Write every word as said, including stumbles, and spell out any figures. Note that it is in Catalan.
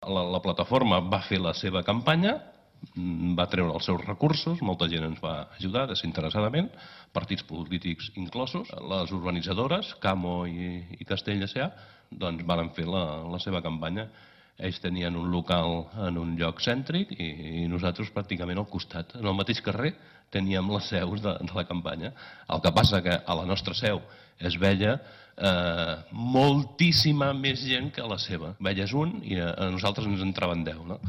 La, la plataforma va fer la seva campanya, va treure els seus recursos, molta gent ens va ajudar desinteressadament, partits polítics inclosos. Les urbanitzadores, Camo i, i Castell S A, doncs van fer la, la seva campanya. Ells tenien un local en un lloc cèntric i, i nosaltres pràcticament al costat, en el mateix carrer, teníem les seus de, de la campanya. El que passa que a la nostra seu es veia eh, moltíssima més gent que a la seva. Veies un i a, a nosaltres ens entraven deu, no?